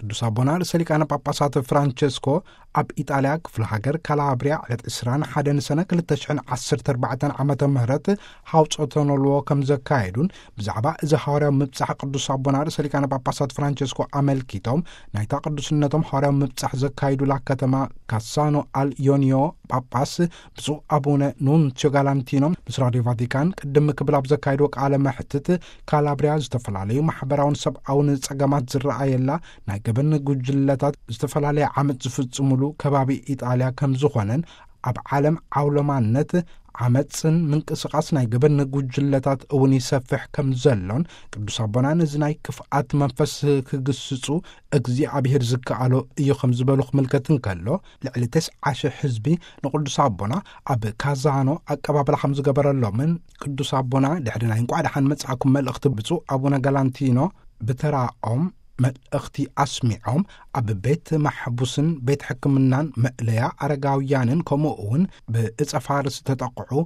ቅዱስ ኣቦና ርእሰ ሊቃነ ጳጳሳት ፍራንቸስኮ ኣብ ኢጣልያ ክፍለ ሃገር ካላብሪያ ዕለት ዕስራን ሓደን ሰነ ክልተ ሽሕን ዓሰርተ ኣርባዕተን ዓመተ ምህረት ሃውጾተ ኖልዎ ከም ዘካየዱን፣ ብዛዕባ እዚ ሃዋርያዊ ምብጻሕ ቅዱስ ኣቦና ርእሰ ሊቃነ ጳጳሳት ፍራንቸስኮ ኣመልኪቶም፣ ናይታ ቅዱስነቶም ሃዋርያዊ ምብጻሕ ዘካይዱላ ከተማ ካሳኖ ኣል ዮኒዮ ጳጳስ ብፁዕ ኣቡነ ኑንሲዮ ጋላንቲኖ ምስ ራድዮ ቫቲካን ቅድም ክብል ኣብ ዘካየድዎ ቃለ መሕትት፣ ካላብሪያ ዝተፈላለዩ ማሕበራውን ሰብኣውን ጸገማት ዝረኣየላ፣ ናይ ገበን ጉጅለታት ዝተፈላለየ ዓመጽ ዝፍጽሙሉ ከባቢ ኢጣልያ ከም ዝኾነን፣ ኣብ ዓለም ዓውለማነት ዓመጽን ምንቅስቓስ ናይ ገበን ጉጅለታት እውን ይሰፍሕ ከም ዘሎን፣ ቅዱስ ኣቦና ነዚ ናይ ክፍኣት መንፈስ ክግስጹ እግዚኣብሔር ዝከኣሎ እዩ ከም ዝበሉ ክምልከት እንከሎ፣ ልዕሊ ተስዓ ሽሕ ህዝቢ ንቅዱስ ኣቦና ኣብ ካዛኖ ኣቀባብላ ከም ዝገበረሎምን፣ ቅዱስ ኣቦና ድሕሪ ናይ እንቋዕ ደሓን መጻእኩም መልእኽቲ ብፁዕ ኣቡነ ጋላንቲኖ ብተራኦም መልእኽቲ ኣስሚዖም፣ ኣብ ቤት ማሕቡስን ቤት ሕክምናን መእለያ ኣረጋውያንን ከምኡ እውን ብእጸ ፋርስ ተጠቕዑ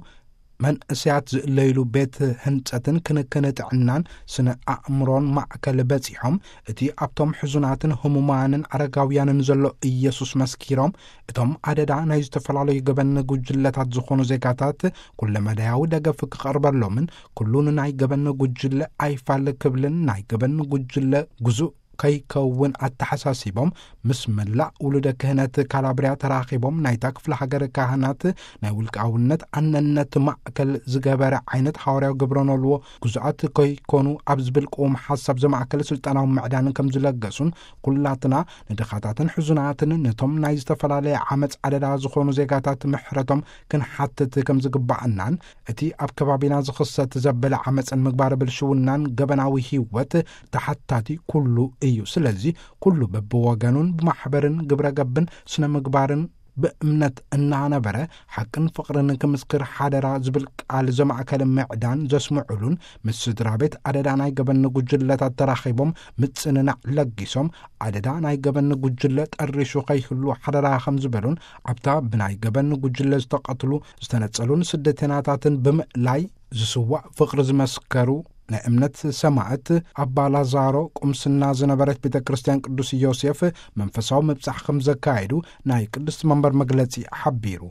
መንእሰያት ዝእለይሉ ቤት ህንጸትን ክንክን ጥዕናን ስነ ኣእምሮን ማእከል በጺሖም፣ እቲ ኣብቶም ሕዙናትን ህሙማንን ኣረጋውያንን ዘሎ ኢየሱስ መስኪሮም፣ እቶም ኣደዳ ናይ ዝተፈላለዩ ገበን ጉጅለታት ዝኾኑ ዜጋታት ኩለመዳያዊ ደገፍ ክቐርበሎምን፣ ኩሉ ንናይ ገበን ጉጅለ ኣይፋል ክብልን ናይ ገበን ጉጅለ ግዙእ ከይከውን ኣተሓሳሲቦም፣ ምስ መላእ ውሉደ ክህነት ካላብሪያ ተራኺቦም፣ ናይታ ክፍለ ሃገር ካህናት ናይ ውልቃውነት ኣነነት ማእከል ዝገበረ ዓይነት ሃዋርያዊ ግብረ ኖልዎ ግዙኣት ከይኮኑ ኣብ ዝብል ቅዉም ሓሳብ ዘማእከለ ስልጣናዊ ምዕዳን ከም ዝለገሱን፣ ኩላትና ንድኻታትን ሕዙናትን ነቶም ናይ ዝተፈላለየ ዓመጽ ኣደዳ ዝኾኑ ዜጋታት ምሕረቶም ክንሓትት ከም ዝግባኣናን፣ እቲ ኣብ ከባቢና ዝኽሰት ዘበለ ዓመጽን ምግባር ብልሽውናን ገበናዊ ህይወት ተሓታቲ ኩሉ እዩ። ስለዚ ኩሉ በብወገኑን ብማሕበርን ግብረ ገብን ስነ ምግባርን ብእምነት እናነበረ ሓቅን ፍቕርን ክምስክር ሓደራ ዝብል ቃል ዘማእከለ ምዕዳን ዘስምዑሉን፣ ምስ ስድራ ቤት ኣደዳ ናይ ገበን ጉጅለታት ተራኺቦም ምጽንናዕ ለጊሶም፣ ኣደዳ ናይ ገበን ጉጅለ ጠሪሹ ከይህሉ ሓደራ ከም ዝበሉን፣ ኣብታ ብናይ ገበን ጉጅለ ዝተቐትሉ ዝተነጸሉን ስደተናታትን ብምእላይ ዝስዋእ ፍቕሪ ዝመስከሩ ናይ እምነት ሰማዕት ኣባ ላዛሮ ቁምስና ዝነበረት ቤተ ክርስቲያን ቅዱስ ዮሴፍ መንፈሳዊ ምብጻሕ ከም ዘካየዱ ናይ ቅድስቲ መንበር መግለጺ ሓቢሩ።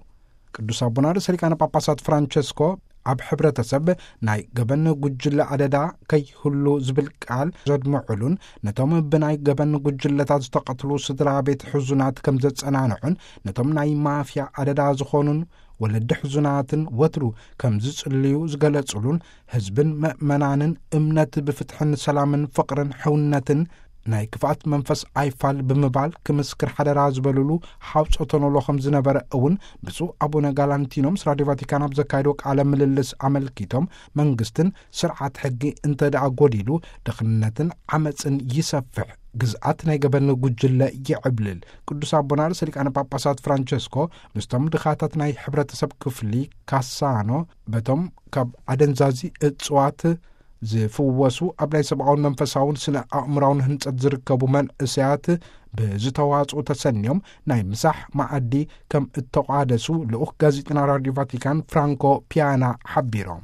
ቅዱስ ኣቦና ርእሰ ሊቃነ ጳጳሳት ፍራንቸስኮ ኣብ ሕብረተሰብ ናይ ገበን ጉጅለ ኣደዳ ከይህሉ ዝብል ቃል ዘድምዑሉን፣ ነቶም ብናይ ገበን ጉጅለታት ዝተቐትሉ ስድራ ቤት ሕዙናት ከም ዘጸናንዑን፣ ነቶም ናይ ማፍያ ኣደዳ ዝኾኑን ወለዲ ሕዙናትን ወትሩ ከም ዝጽልዩ ዝገለጹሉን፣ ህዝብን መእመናንን እምነት ብፍትሕን ሰላምን ፍቕርን ሕውነትን ናይ ክፍኣት መንፈስ ኣይፋል ብምባል ክምስክር ሓደራ ዝበሉሉ ሓውጾተ ኖሎ ከም ዝነበረ እውን ብፁዕ ኣቡነ ጋላንቲኖ ምስ ራድዮ ቫቲካን ኣብ ዘካየዶ ቃለ ምልልስ ኣመልኪቶም፣ መንግስትን ስርዓት ሕጊ እንተ ደኣ ጎዲሉ፣ ድኽነትን ዓመጽን ይሰፍሕ፣ ግዝኣት ናይ ገበን ጉጅለ ይዕብልል። ቅዱስ ኣቦና ርእሰ ሊቃነ ጳጳሳት ፍራንቸስኮ ምስቶም ድኻታት ናይ ሕብረተሰብ ክፍሊ ካሳኖ፣ በቶም ካብ ኣደንዛዚ እጽዋት ዝፍወሱ፣ ኣብ ናይ ሰብኣውን መንፈሳውን ስነ ኣእምራውን ህንጸት ዝርከቡ መንእሰያት ብዝተዋጽኡ ተሰንዮም ናይ ምሳሕ መኣዲ ከም እተቋደሱ ልኡኽ ጋዜጠና ራድዮ ቫቲካን ፍራንኮ ፒያና ሓቢሮም።